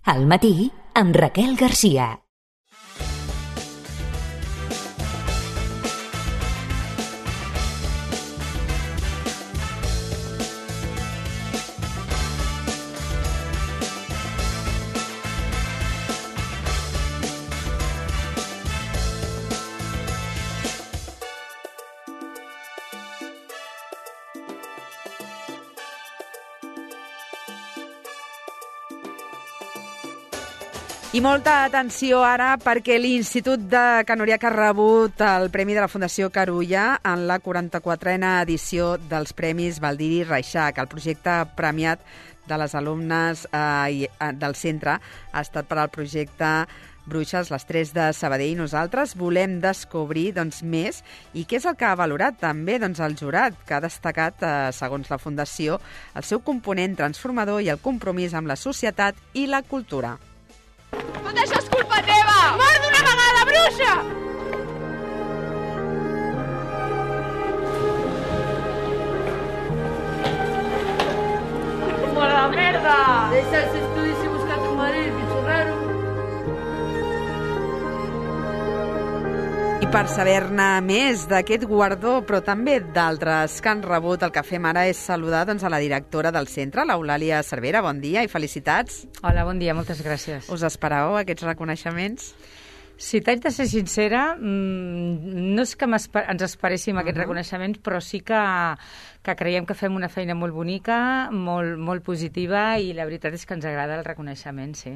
Al matí, amb Raquel Garcia. I molta atenció ara perquè l'Institut de Can Oriach ha rebut el Premi de la Fundació Carulla en la 44a edició dels Premis Baldiri Reixac. El projecte premiat de les alumnes del centre ha estat per al projecte Bruixes, les 3 de Sabadell. Nosaltres volem descobrir més i què és el que ha valorat també el jurat, que ha destacat, segons la Fundació, el seu component transformador i el compromís amb la societat i la cultura. Tot això és culpa teva! Mort d'una vegada, bruixa! Mare de merda! Deixa els estudis i busca tu marit, pitxorrero. I per saber-ne més d'aquest guardó, però també d'altres que han rebut, el que fem ara és saludar a la directora del centre, l'Eulàlia Cervera. Bon dia i felicitats. Hola, bon dia, moltes gràcies. Us esperàveu aquests reconeixements? Si t'haig de ser sincera, no és que ens esperéssim aquests reconeixements, però sí que creiem que fem una feina molt bonica, molt positiva, i la veritat és que ens agrada el reconeixement, sí.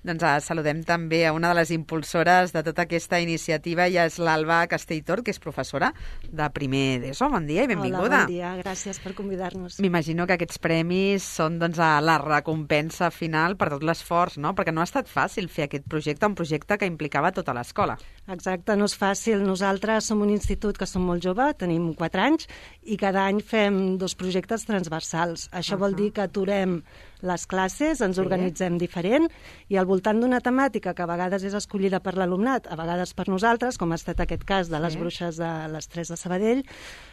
Doncs saludem també a una de les impulsores de tota aquesta iniciativa, i és l'Alba Castelltor, que és professora de primer d'ESO. Bon dia i benvinguda. Hola, bon dia, gràcies per convidar-nos. M'imagino que aquests premis són la recompensa final per tot l'esforç, no? Perquè no ha estat fàcil fer aquest projecte, un projecte que implicava tota l'escola. Exacte, no és fàcil. Nosaltres som un institut que som molt jove, tenim 4 anys, i cada any fem 2 projectes transversals. Això vol dir que aturem les classes, ens organitzem diferent, i al voltant d'una temàtica que a vegades és escollida per l'alumnat, a vegades per nosaltres, com ha estat aquest cas de les bruixes de les 3 de Sabadell,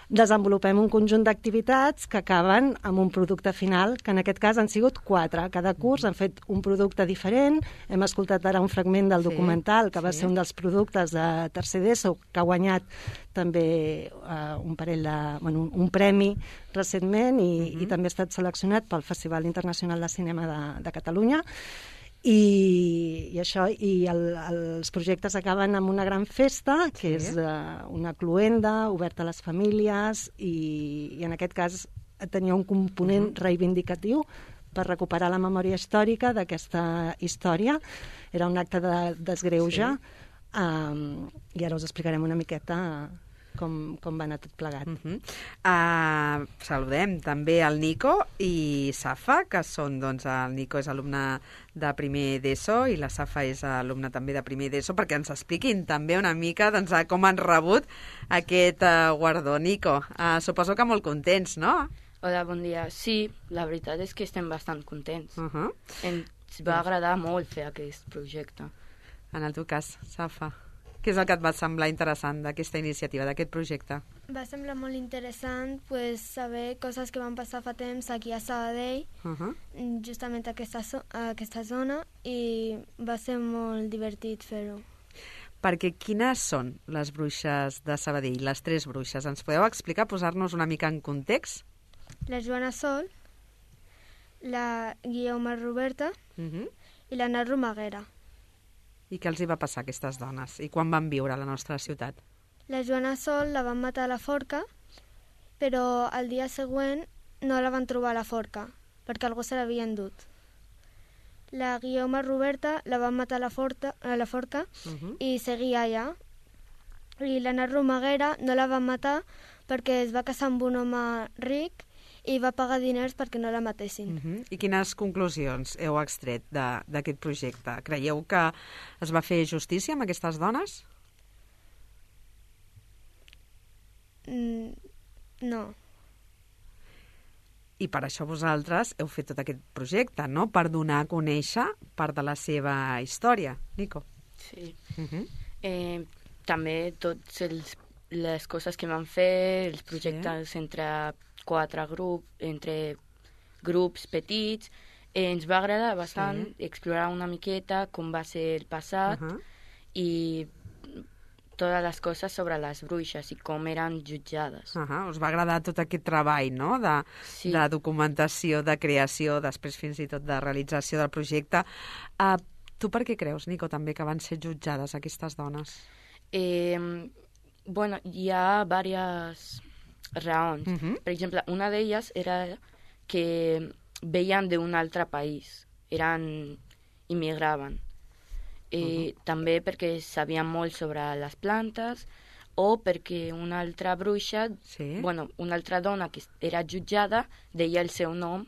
desenvolupem un conjunt d'activitats que acaben amb un producte final, que en aquest cas han sigut 4. Cada curs han fet un producte diferent. Hem escoltat ara un fragment del documental, que va ser un dels productes de tercer d'ESO, que ha guanyat també un premi recentment, i també ha estat seleccionat pel Festival Internacional de Cinema de Catalunya. I això, i els projectes acaben amb una gran festa, que és una cloenda oberta a les famílies, i en aquest cas tenia un component reivindicatiu per recuperar la memòria històrica d'aquesta història. Era un acte de desgreuge, i ara us explicarem una miqueta com va anar tot plegat. Saludem també el Nico i Safa, que són, el Nico és alumne de primer d'ESO i la Safa és alumna també de primer d'ESO, perquè ens expliquin també una mica com han rebut aquest guardó. Nico, suposo que molt contents, no? Hola, bon dia. Sí, la veritat és que estem bastant contents. Ens va agradar molt fer aquest projecte. En el teu cas, Safa, què és el que et va semblar interessant d'aquesta iniciativa, d'aquest projecte? Va semblar molt interessant saber coses que van passar fa temps aquí a Sabadell, justament a aquesta zona, i va ser molt divertit fer-ho. Perquè quines són les bruixes de Sabadell, les 3 bruixes? Ens podeu explicar, posar-nos una mica en context? La Joana Sol, la Guioma Roberta i la Nar Romaguera. I què els hi va passar a aquestes dones? I quan van viure a la nostra ciutat? La Joana Sol la van matar a la forca, però el dia següent no la van trobar a la forca, perquè algú se l'havia endut. La Guioma Roberta la van matar a la forca i seguia allà. I la Nar Romaguera no la van matar perquè es va casar amb un home ric i va pagar diners perquè no la matessin. I quines conclusions heu extret d'aquest projecte? Creieu que es va fer justícia amb aquestes dones? No. I per això vosaltres heu fet tot aquest projecte, no? Per donar a conèixer part de la seva història. Nico? Sí. També totes les coses que vam fer, els projectes entre grups petits, Ens va agradar bastant explorar una miqueta com va ser el passat i totes les coses sobre les bruixes i com eren jutjades. Us va agradar tot aquest treball, no?, de documentació, de creació, després fins i tot de realització del projecte. Tu per què creus, Nico, també que van ser jutjades aquestes dones? Bueno, hi ha diverses raons. Per exemple, una d'elles era que veien d'un altre país, immigraven. També perquè sabien molt sobre les plantes o perquè una altra bruixa, una altra dona que era jutjada, deia el seu nom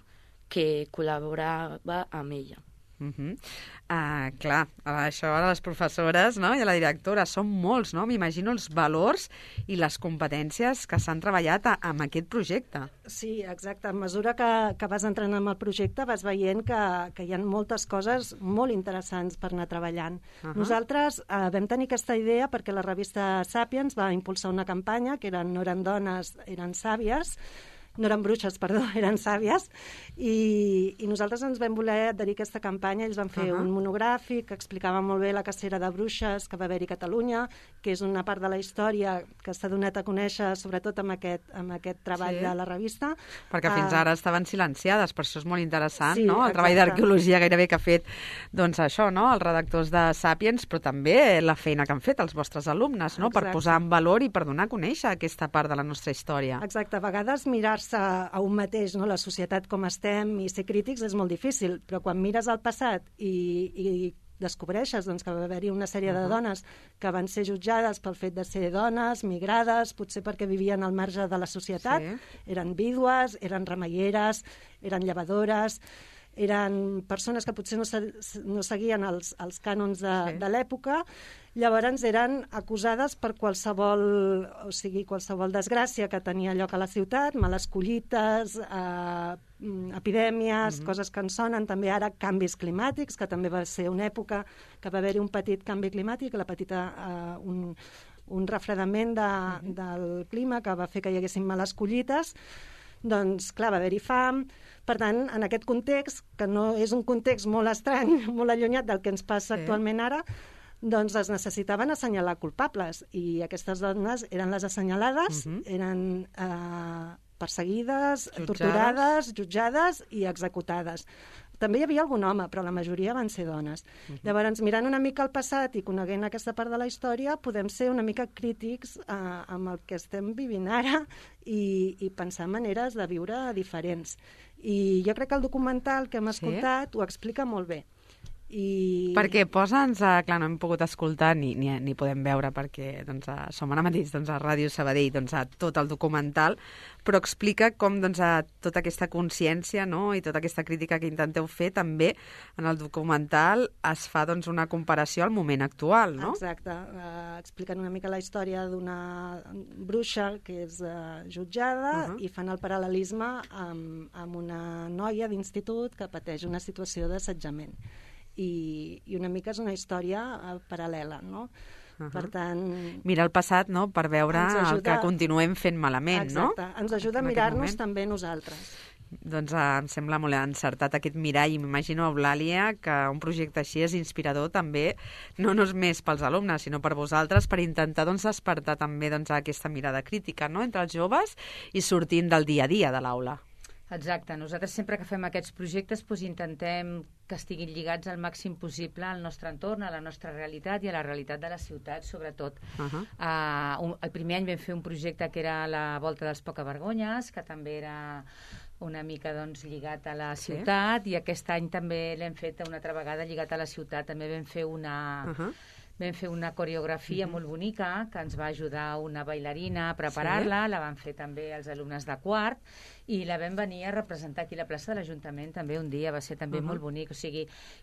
que col·laborava amb ella. Clar, això ara les professores, no?, i la directora, són molts, no? M'imagino els valors i les competències que s'han treballat amb aquest projecte. Sí, exacte. A mesura que vas entrant en el projecte vas veient que hi ha moltes coses molt interessants per anar treballant. Nosaltres vam tenir aquesta idea perquè la revista Sapiens va impulsar una campanya que no eren dones, eren sàvies, no eren bruixes, perdó, eren sàvies, i nosaltres ens vam voler adherir a aquesta campanya. Ells van fer un monogràfic que explicava molt bé la cacera de bruixes que va haver-hi a Catalunya, que és una part de la història que s'ha donat a conèixer sobretot amb aquest treball de la revista. Perquè fins ara estaven silenciades, per això és molt interessant, no?, el treball d'arqueologia gairebé que ha fet, doncs això, no?, els redactors de Sapiens, però també la feina que han fet els vostres alumnes, no?, per posar en valor i per donar a conèixer aquesta part de la nostra història. Exacte, a vegades mirar-se a un mateix, no?, la societat com estem, i ser crítics és molt difícil, però quan mires al passat i descobreixes doncs, que va haver-hi una sèrie de dones que van ser jutjades pel fet de ser dones, migrades, potser perquè vivien al marge de la societat, eren vídues, eren remeieres, eren llevadores, eren persones que potser no seguien els cànons de l'època. Llavors eren acusades per qualsevol desgràcia que tenia lloc a la ciutat, males collites, epidèmies, coses que ens sonen, també ara canvis climàtics, que també va ser una època que va haver-hi un petit canvi climàtic, un refredament del clima que va fer que hi haguessin males collites. Doncs, clar, va haver-hi fam. Per tant, en aquest context, que no és un context molt estrany, molt allunyat del que ens passa actualment ara, doncs es necessitaven assenyalar culpables. I aquestes dones eren les assenyalades, eren perseguides, torturades, jutjades i executades. També hi havia algun home, però la majoria van ser dones. Llavors, mirant una mica el passat i coneguent aquesta part de la història, podem ser una mica crítics amb el que estem vivint ara i pensar maneres de viure diferents. I jo crec que el documental que hem escoltat ho explica molt bé. Perquè posa'ns, clar, no hem pogut escoltar ni podem veure perquè som ara mateix a Ràdio Sabadell tot el documental, però explica com tota aquesta consciència i tota aquesta crítica que intenteu fer també en el documental es fa una comparació al moment actual, no? Exacte, expliquen una mica la història d'una bruixa que és jutjada i fan el paral·lelisme amb una noia d'institut que pateix una situació d'assetjament. I una mica és una història paral·lela, no? Per tant... Mirar el passat, no?, per veure el que continuem fent malament, no? Exacte, ens ajuda a mirar-nos també nosaltres. Doncs em sembla molt encertat aquest mirall i m'imagino, Eulàlia, que un projecte així és inspirador també, no només pels alumnes, sinó per vosaltres, per intentar despertar també aquesta mirada crítica, no?, entre els joves i sortint del dia a dia de l'aula. Exacte. Nosaltres sempre que fem aquests projectes intentem que estiguin lligats al màxim possible al nostre entorn, a la nostra realitat i a la realitat de la ciutat, sobretot. El primer any vam fer un projecte que era la Volta dels Pocavergonyes, que també era una mica lligat a la ciutat, i aquest any també l'hem fet una altra vegada lligat a la ciutat. També vam fer una coreografia molt bonica que ens va ajudar una bailarina a preparar-la, la van fer també els alumnes de quart i la vam venir a representar aquí a la plaça de l'Ajuntament també un dia, va ser també molt bonic. O sigui,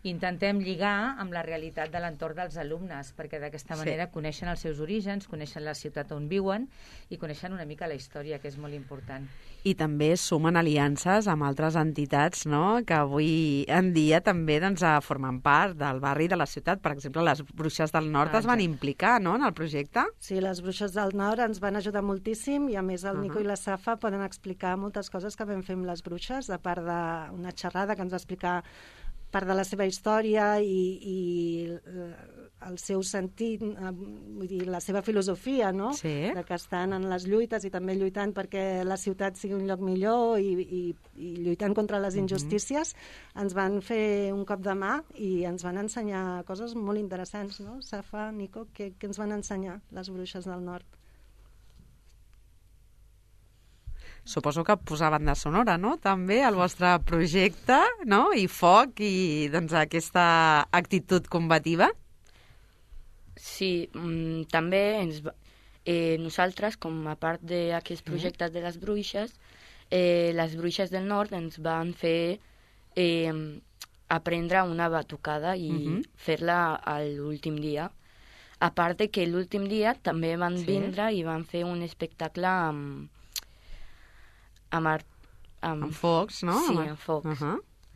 intentem lligar amb la realitat de l'entorn dels alumnes, perquè d'aquesta manera coneixen els seus orígens, coneixen la ciutat on viuen i coneixen una mica la història, que és molt important. I també sumen aliances amb altres entitats, no?, que avui en dia també formen part del barri de la ciutat. Per exemple, les Bruixes del del Nord es van implicar, no?, en el projecte. Sí, les Bruixes del Nord ens van ajudar moltíssim i, a més, el Nico i la Safa poden explicar moltes coses que vam fer amb les bruixes, a part d'una xerrada que ens va explicar part de la seva història i el seu sentit, vull dir, la seva filosofia, no? Sí. De que estan en les lluites i també lluitant perquè la ciutat sigui un lloc millor i lluitant contra les injustícies, ens van fer un cop de mà i ens van ensenyar coses molt interessants, no? Safa, Nico, què ens van ensenyar les Bruixes del Nord? Suposo que posar banda sonora, no?, també, al vostre projecte, no?, i foc i, doncs, aquesta actitud combativa. Sí, també nosaltres, com a part d'aquests projectes de les Bruixes del Nord ens van fer aprendre una batucada i fer-la l'últim dia. A part de que l'últim dia també van vindre i van fer un espectacle amb focs, no? Sí, amb focs.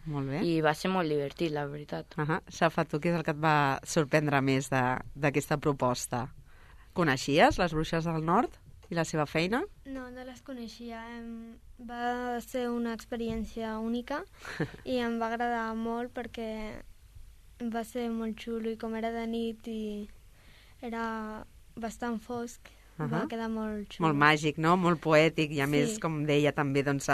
Molt bé. I va ser molt divertit, la veritat. Safa, tu què és el que et va sorprendre més d'aquesta proposta? Coneixies les Bruixes del Nord i la seva feina? No, no les coneixia. Va ser una experiència única i em va agradar molt perquè va ser molt xulo i com era de nit i era bastant fosc, va quedar molt xulo. Molt màgic, no? Molt poètic i a més, com deia també, doncs,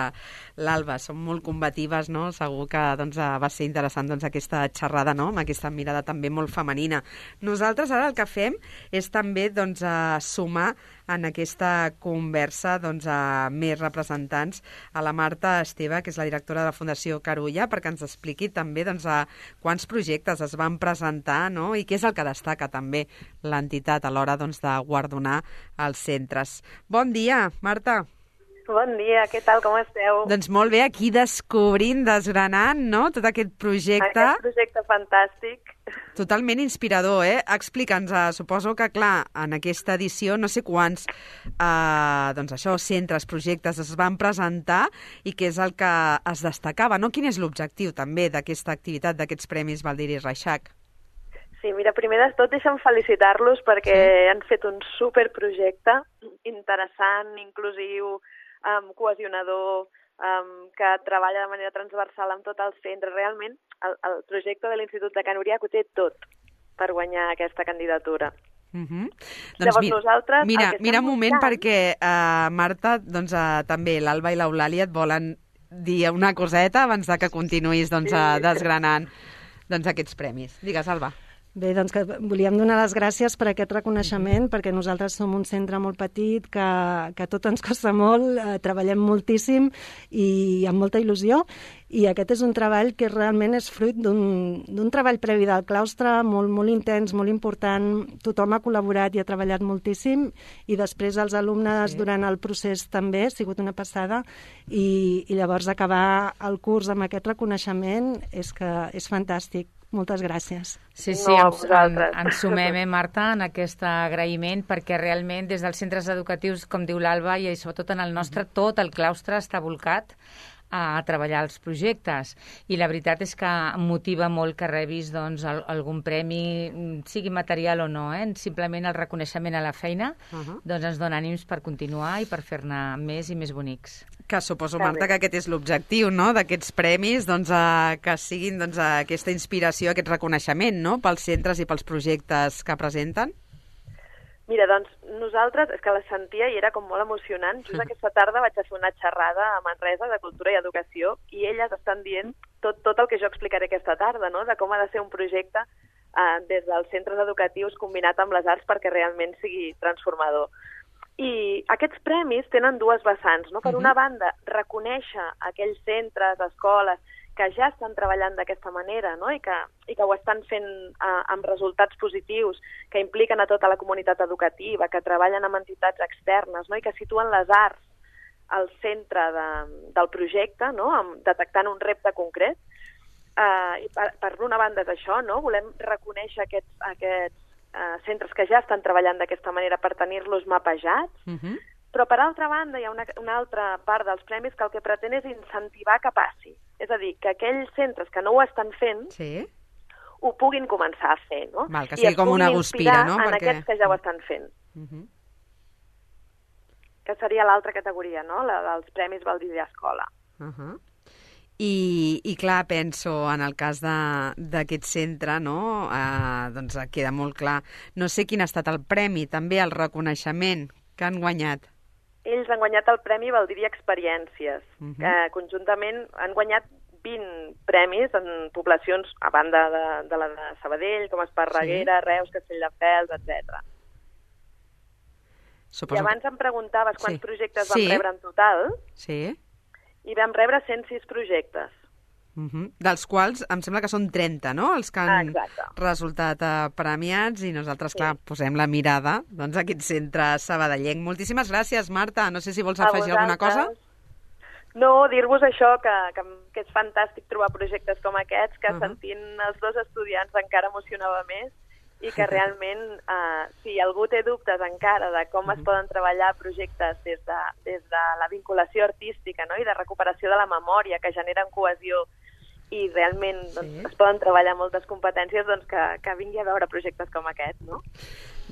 l'Alba, són molt combatives, no? Segur que doncs, va ser interessant doncs, aquesta xerrada, no?, amb aquesta mirada també molt femenina. Nosaltres ara el que fem és també doncs, sumar en aquesta conversa doncs, a més representants, a la Marta Esteve, que és la directora de la Fundació Carulla, perquè ens expliqui també doncs, a quants projectes es van presentar, no?, i què és el que destaca també l'entitat a l'hora doncs, de guardonar els centres. Bon dia, Marta. Bon dia, què tal, com esteu? Doncs molt bé, aquí descobrint, desgranant, no?, tot aquest projecte. Aquest projecte fantàstic. Totalment inspirador, eh? Explica'ns, suposo que, clar, en aquesta edició no sé quants doncs això, centres, projectes es van presentar i què és el que es destacava, no? Quin és l'objectiu també d'aquesta activitat, d'aquests Premis Baldiri Reixac? Sí, mira, primer de tot deixa'm felicitar-los perquè han fet un superprojecte interessant, inclusiu, cohesionador, que treballa de manera transversal amb tot el centre. Realment, el projecte de l'Institut de Can Uriac ho té tot per guanyar aquesta candidatura. Doncs llavors nosaltres... Mira un moment perquè, Marta, doncs, també l'Alba i l'Eulàlia et volen dir una coseta abans de que continuïs doncs, desgranant doncs, aquests premis. Digues, Alba. Bé, doncs que volíem donar les gràcies per aquest reconeixement, perquè nosaltres som un centre molt petit, que tot ens costa molt, treballem moltíssim i amb molta il·lusió, i aquest és un treball que realment és fruit d'un treball previ del claustre, molt, molt intens, molt important. Tothom ha col·laborat i ha treballat moltíssim, i després els alumnes durant el procés també, ha sigut una passada, i llavors acabar el curs amb aquest reconeixement és fantàstic. Moltes gràcies. Sí, ens sumem, Marta, en aquest agraïment, perquè realment des dels centres educatius, com diu l'Alba, i sobretot en el nostre, tot el claustre està volcat a treballar els projectes. I la veritat és que motiva molt que rebis doncs, algun premi, sigui material o no, simplement el reconeixement a la feina, doncs ens dona ànims per continuar i per fer-ne més i més bonics. Que suposo, Marta, que aquest és l'objectiu, no?, d'aquests premis, doncs, que siguin doncs, aquesta inspiració, aquest reconeixement, no?, pels centres i pels projectes que presenten. Mira, doncs, nosaltres, és que la sentia i era com molt emocionant. Just aquesta tarda vaig a fer una xerrada a Manresa de Cultura i Educació i elles estan dient tot el que jo explicaré aquesta tarda, no?, de com ha de ser un projecte des dels centres educatius combinat amb les arts perquè realment sigui transformador. I aquests premis tenen dues vessants, no? Per una banda, reconèixer aquells centres, escoles, que ja estan treballant d'aquesta manera, no? I que ho estan fent amb resultats positius, que impliquen a tota la comunitat educativa, que treballen amb entitats externes, no? I que situen les arts al centre del projecte, no? Detectant un repte concret. I per una banda és això, no? Volem reconèixer aquests centres que ja estan treballant d'aquesta manera per tenir-los mapejats, però per altra banda hi ha una altra part dels premis que el que pretén és incentivar que passi. És a dir, que aquells centres que no ho estan fent ho puguin començar a fer, no? Val, que sigui com una guspira, no? En aquests que ja ho estan fent. Que seria l'altra categoria, no? La dels Premis Baldiri Escola. I clar, penso, en el cas d'aquest centre, no? Doncs queda molt clar. No sé quin ha estat el premi, també el reconeixement que han guanyat. Ells han guanyat el Premi Baldiri Experiències. Conjuntament han guanyat 20 premis en poblacions, a banda de la de Sabadell, com Esparreguera, Reus, Castelldefels, etc. I abans em preguntaves quants projectes vam rebre en total. Sí. I vam rebre 106 projectes. Dels quals em sembla que són 30, no?, els que han resultat premiats, i nosaltres, clar, posem la mirada doncs, a aquest centre sabadellenc. Moltíssimes gràcies, Marta. No sé si vols afegir alguna cosa. No, dir-vos això, que és fantàstic trobar projectes com aquests, que sentint els dos estudiants encara emocionava més, i que realment, si algú té dubtes encara de com es poden treballar projectes des de la vinculació artística, no?, i de recuperació de la memòria, que generen cohesió, i realment es poden treballar moltes competències, doncs que vingui a veure projectes com aquest, no?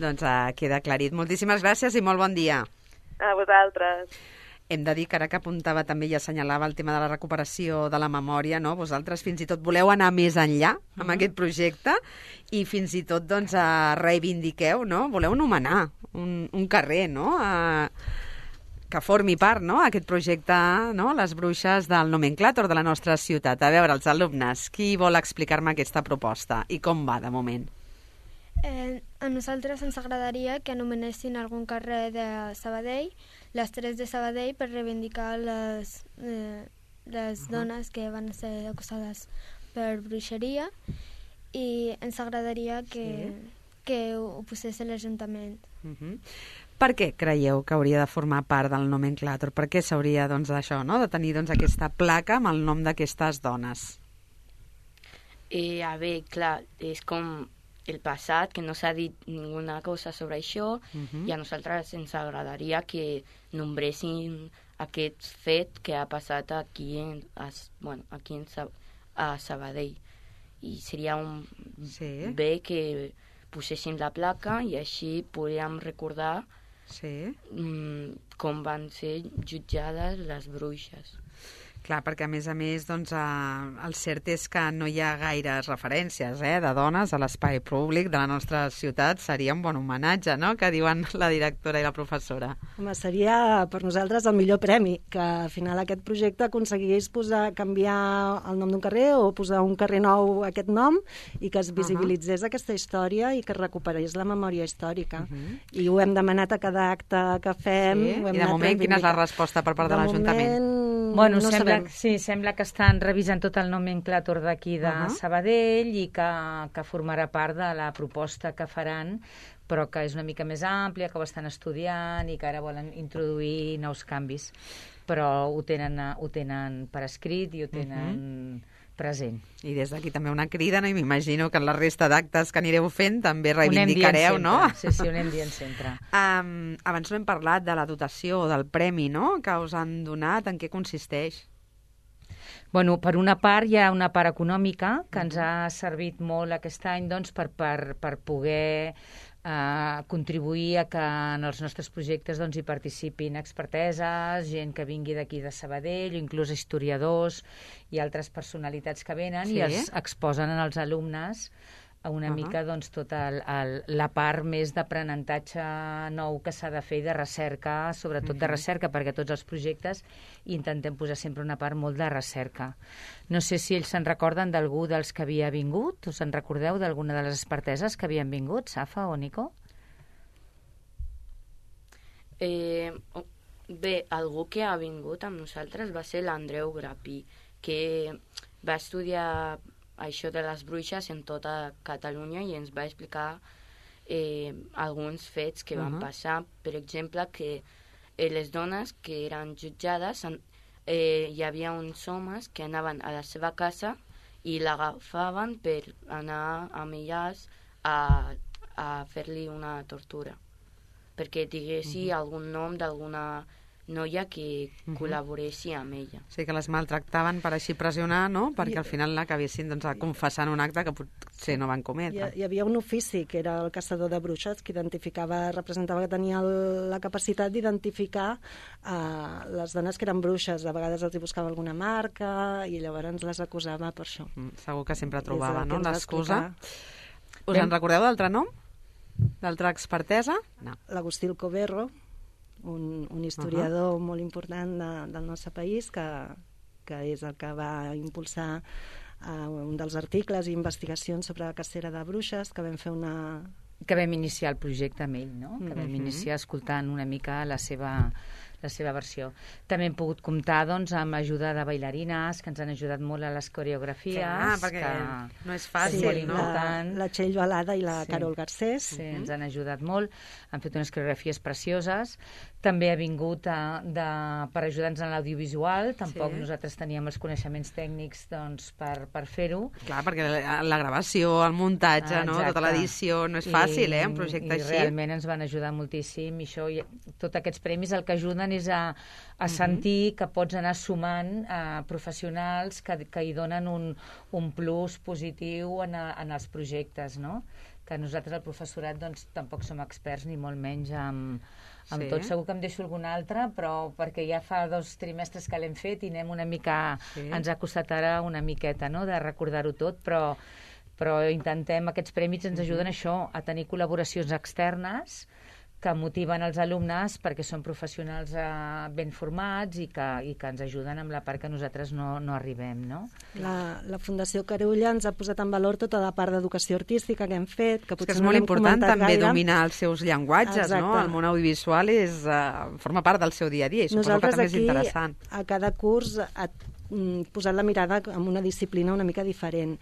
Doncs queda aclarit. Moltíssimes gràcies i molt bon dia. A vosaltres. Hem de dir que ara que apuntava també i assenyalava el tema de la recuperació de la memòria, no? Vosaltres fins i tot voleu anar més enllà amb aquest projecte i fins i tot doncs reivindiqueu, no? Voleu nomenar un carrer, no?, que formi part, no?, aquest projecte, no?, Les Bruixes del Nomenclàtor de la nostra ciutat. A veure, els alumnes, qui vol explicar-me aquesta proposta i com va de moment? A nosaltres ens agradaria que anomenessin algun carrer de Sabadell, les 3 de Sabadell, per reivindicar les dones que van ser acusades per bruixeria, i ens agradaria que ho posés a l'Ajuntament. Per què creieu que hauria de formar part del nomenclàtor? Per què s'hauria, doncs, d'això, no?, de tenir aquesta placa amb el nom d'aquestes dones? A veure, clar, és com el passat, que no s'ha dit ninguna cosa sobre això, i a nosaltres ens agradaria que nombressin aquest fet que ha passat aquí a Sabadell. I seria bé que posessin la placa i així podríem recordar com van ser jutjades les bruixes. Clar, perquè a més, doncs, el cert és que no hi ha gaires referències de dones a l'espai públic de la nostra ciutat. Seria un bon homenatge, no?, que diuen la directora i la professora. Home, seria per nosaltres el millor premi, que al final aquest projecte aconseguís canviar el nom d'un carrer o posar un carrer nou aquest nom i que es visibilitzés aquesta història i que es recuperés la memòria històrica. I ho hem demanat a cada acte que fem. I de moment, quina és la resposta per part de l'Ajuntament? Bueno, sembla que estan revisant tot el nomenclàtor d'aquí de Sabadell i que formarà part de la proposta que faran, però que és una mica més àmplia, que ho estan estudiant i que ara volen introduir nous canvis. Però ho tenen per escrit i ho tenen present. I des d'aquí també una crida, no? I m'imagino que en la resta d'actes que anireu fent també reivindicareu, no? Sí, ho anem dient sempre. Abans no hem parlat de la dotació o del premi, no?, que us han donat. En què consisteix? Bueno, per una part hi ha una part econòmica que ens ha servit molt aquest any, doncs, per poder contribuir a que en els nostres projectes doncs, hi participin experteses, gent que vingui d'aquí de Sabadell, inclús historiadors i altres personalitats que venen i els exposen als alumnes una mica doncs, tota la part més d'aprenentatge nou que s'ha de fer i de recerca, sobretot de recerca, perquè tots els projectes intentem posar sempre una part molt de recerca. No sé si ells se'n recorden d'algú dels que havia vingut, us en recordeu d'alguna de les experteses que havien vingut, Safa o Nico? Bé, algú que ha vingut amb nosaltres va ser l'Andreu Grapí, que va estudiar això de les bruixes en tota Catalunya i ens va explicar alguns fets que van passar. Per exemple, que les dones que eren jutjades, hi havia uns homes que anaven a la seva casa i l'agafaven per anar amb elles a fer-li una tortura, perquè diguessi algun nom d'alguna noia que col·laboressi amb ella. Sí, que les maltractaven per així pressionar, no? Perquè al final l'acabessin confessant un acte que potser no van cometre. Hi havia un ofici que era el caçador de bruixes que representava que tenia la capacitat d'identificar les dones que eren bruixes. A vegades els hi buscava alguna marca i llavors les acusava per això. Segur que sempre trobava, no?, l'excusa. Us en recordeu d'altre nom? D'altra expertesa? No. L'Agustí Alcoberro, un historiador molt important del nostre país, que és el que va impulsar un dels articles i investigacions sobre la cacera de bruixes, que vam fer que vam iniciar el projecte amb ell, no? Que vam iniciar escoltant una mica la seva versió. També hem pogut comptar amb ajuda de bailarines que ens han ajudat molt a les coreografies. Clar, perquè no és fàcil, no? La Txell Balada i la Carol Garcés. Sí, ens han ajudat molt. Han fet unes coreografies precioses. També ha vingut per ajudar-nos en l'audiovisual. Tampoc nosaltres teníem els coneixements tècnics per fer-ho. Clar, perquè la gravació, el muntatge, no? Tota l'edició, no és fàcil, un projecte així. I realment ens van ajudar moltíssim. I això, tots aquests premis el que ajuden és a sentir que pots anar sumant professionals que hi donen un plus positiu en els projectes, no? Que nosaltres, el professorat, tampoc som experts, ni molt menys amb tot. Segur que em deixo algun altre, però perquè ja fa 2 trimestres que l'hem fet i anem una mica... Ens ha costat ara una miqueta, no?, de recordar-ho tot, però intentem, aquests premis ens ajuden a això, a tenir col·laboracions externes que motiven els alumnes perquè són professionals ben formats i que ens ajuden amb la part que nosaltres no arribem, no? La Fundació Carulla ens ha posat en valor tota la part d'educació artística que hem fet, que potser és molt important també dominar els seus llenguatges, no? El món audiovisual forma part del seu dia a dia i suposo que també és interessant. Nosaltres aquí, a cada curs, posat la mirada en una disciplina una mica diferent.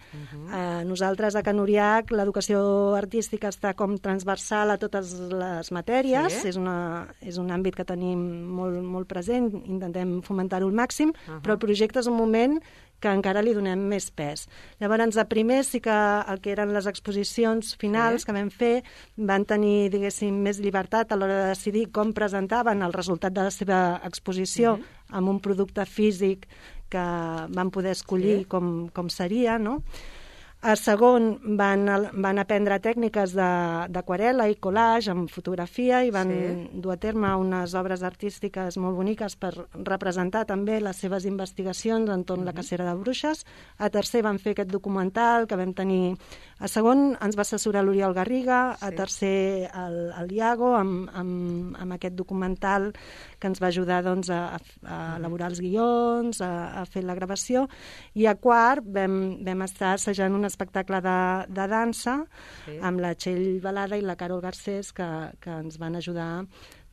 Nosaltres a Can Uriach l'educació artística està com transversal a totes les matèries, és un àmbit que tenim molt present, intentem fomentar-ho al màxim, però el projecte és un moment que encara li donem més pes. Llavors, a primer sí que el que eren les exposicions finals que vam fer van tenir, diguéssim, més llibertat a l'hora de decidir com presentaven el resultat de la seva exposició amb un producte físic que van poder escollir com seria, no? A segon van aprendre tècniques d'aquarel·la i collage amb fotografia i van dur a terme unes obres artístiques molt boniques per representar també les seves investigacions entorn la cacera de bruixes. A tercer van fer aquest documental que vam tenir... A segon ens va assessorar l'Oriol Garriga, a tercer el Iago amb aquest documental que ens va ajudar a elaborar els guions, a fer la gravació, i a quart vam estar assajant un espectacle de dansa amb la Txell Balada i la Carol Garcés que ens van ajudar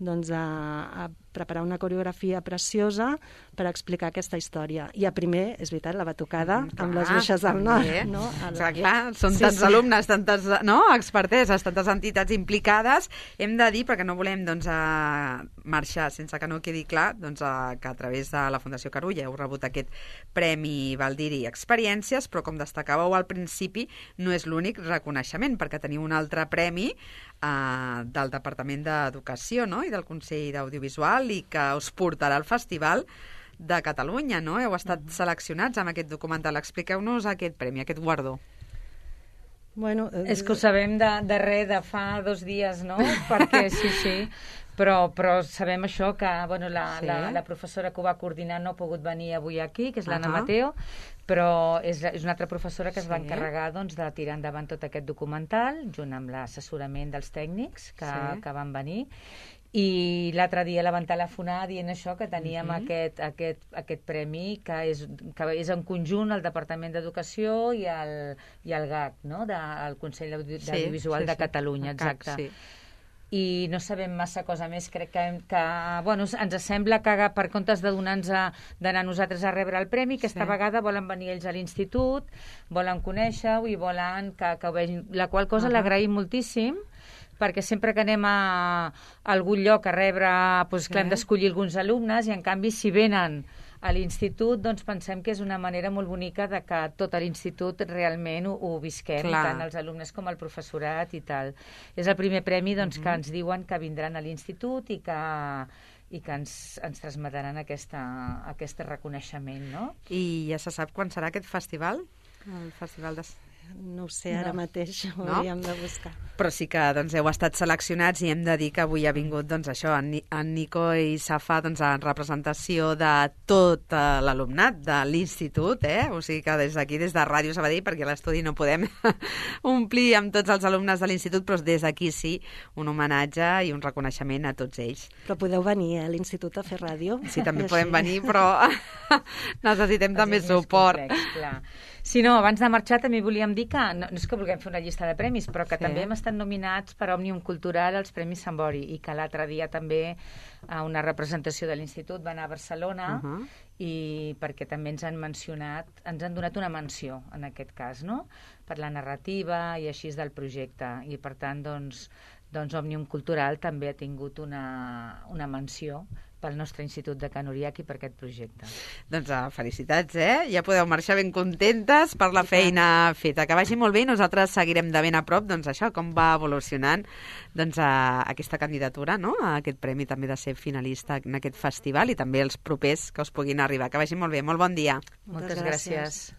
a preparar una coreografia preciosa per explicar aquesta història. I a primer, és veritat, la batucada amb les bruixes del nord. No? Clar, són tants alumnes, tantes experteses, tantes entitats implicades. Hem de dir, perquè no volem marxar sense que no quedi clar, que a través de la Fundació Carulla heu rebut aquest Premi Baldiri Experiències, però com destacàveu al principi, no és l'únic reconeixement, perquè teniu un altre premi del Departament d'Educació, no?, i del Consell d'Audiovisual, i que us portarà al Festival de Catalunya, no? Heu estat seleccionats amb aquest documental. Expliqueu-nos aquest premi, aquest guardó. Bueno, és que ho sabem de fa 2 dies, no? Perquè sí, però sabem això que la professora que ho va coordinar no ha pogut venir avui aquí, que és l'Anna Mateo, però és una altra professora que es va encarregar de tirar endavant tot aquest documental, junt amb l'assessorament dels tècnics que van venir. I l'altre dia la van telefonar dient això, que teníem aquest premi que és en conjunt el Departament d'Educació i el GAC, no?, del Consell d'Audiovisual de Catalunya, exacte. I no sabem massa cosa més. Crec que ens sembla que per comptes d'anar nosaltres a rebre el premi, aquesta vegada volen venir ells a l'institut, volen conèixer-ho i volen que ho vegin, la qual cosa l'agraïm moltíssim, perquè sempre que anem a algun lloc a rebre, hem d'escollir alguns alumnes, i en canvi si venen a l'institut, doncs pensem que és una manera molt bonica de que tot l'institut realment ho visquem, tant els alumnes com el professorat i tal. És el primer premi que ens diuen que vindran a l'institut i i que ens transmetran aquest reconeixement, no? I ja se sap quan serà aquest festival? El festival de... No ho sé, ara mateix ho hauríem de buscar. Però sí que heu estat seleccionats i hem de dir que avui ha vingut en Nico i Safa en representació de tot l'alumnat de l'institut, o sigui que des d'aquí, des de Ràdio Sabadell, perquè a l'estudi no podem omplir amb tots els alumnes de l'institut, però des d'aquí sí, un homenatge i un reconeixement a tots ells. Però podeu venir a l'institut a fer ràdio. Sí, també podem venir, però necessitem també suport. Si no, abans de marxar també volíem dir que no és que vulguem fer una llista de premis, però que també hem estat nominats per Òmnium Cultural als Premis Sant Bori i que l'altre dia també a una representació de l'Institut va anar a Barcelona i perquè també ens han mencionat, ens han donat una menció en aquest cas, no? Per la narrativa i així del projecte i per tant doncs Òmnium Cultural també ha tingut una menció pel nostre Institut de Can Uriach i per aquest projecte. Doncs felicitats, Ja podeu marxar ben contentes per la feina feta. Que vagi molt bé i nosaltres seguirem de ben a prop com va evolucionant aquesta candidatura, no? A aquest premi també de ser finalista en aquest festival i també els propers que us puguin arribar. Que vagi molt bé. Molt bon dia. Moltes gràcies.